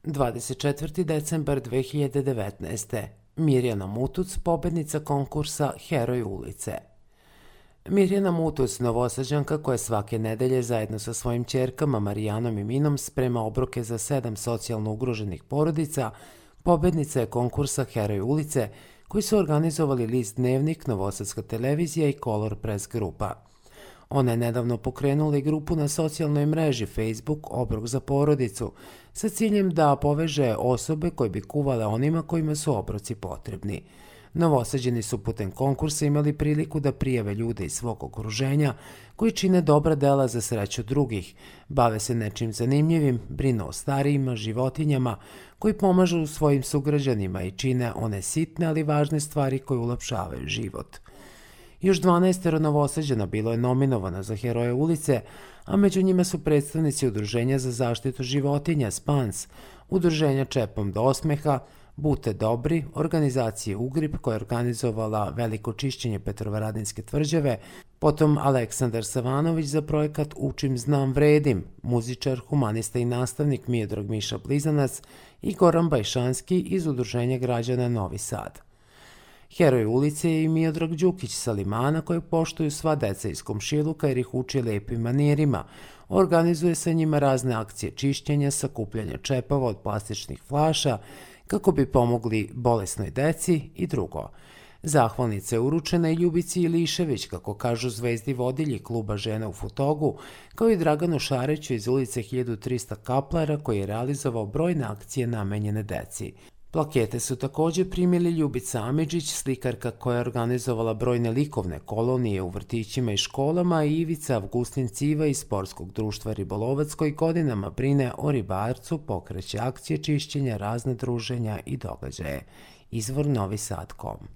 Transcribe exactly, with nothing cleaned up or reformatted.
dvadeset četvrti decembar dve hiljade devetnaeste. Mirjana Mutuc, pobednica konkursa Heroj ulice. Mirjana Mutuc, Novosađanka koja svake nedelje zajedno sa svojim ćerkama Marijanom i Minom sprema obroke za sedam socijalno ugroženih porodica, pobednica je konkursa Heroj ulice koji su organizovali list Dnevnik, Novosadska televizija i Color Press grupa. Ona je nedavno pokrenula i grupu na socijalnoj mreži Facebook Obrok za porodicu sa ciljem da poveže osobe koje bi kuvale onima kojima su obroci potrebni. Novosađeni su putem konkursa imali priliku da prijave ljude iz svog okruženja koji čine dobra dela za sreću drugih, bave se nečim zanimljivim, brinu o starijima, životinjama, koji pomažu svojim sugrađanima i čine one sitne ali važne stvari koje ulepšavaju život. Još dvanaestero Novosađana bilo je nominovano za Heroje ulice, a među njima su predstavnici Udruženja za zaštitu životinja Spans, Udruženja Čepom do osmeha, Bute Dobri, organizacije Ugrip koja je organizovala veliko čišćenje Petrovaradinske tvrđave, potom Aleksandar Savanović za projekat Učim, znam, vredim, muzičar, humanista i nastavnik Miodrag Miša Blizanac i Goran Bajšanski iz Udruženja građana Novi Sad. Heroj ulice je i Miodrag Đukić sa Limana kojeg poštuju sva deca iz komšiluka jer ih uči lepim manirima. Organizuje sa njima razne akcije čišćenja, sakupljanja čepova od plastičnih flaša kako bi pomogli bolesnoj deci i drugo. Zahvalnica je uručena i Ljubici Ilišević, kako kažu zvezdi vodilji kluba žena u Futogu, kao i Draganu Šareću iz ulice hiljadu trista Kaplara koji je realizovao brojne akcije namenjene deci. Plakete su također primili Ljubica Amidžić, slikarka koja je organizovala brojne likovne kolonije u vrtićima i školama, i Ivica Avgustin Civa iz Sportskog društva Ribolovac koji godinama brine o ribarcu, pokreće akcije čišćenja, razne druženja i događaje. Izvor Novi Sad точка com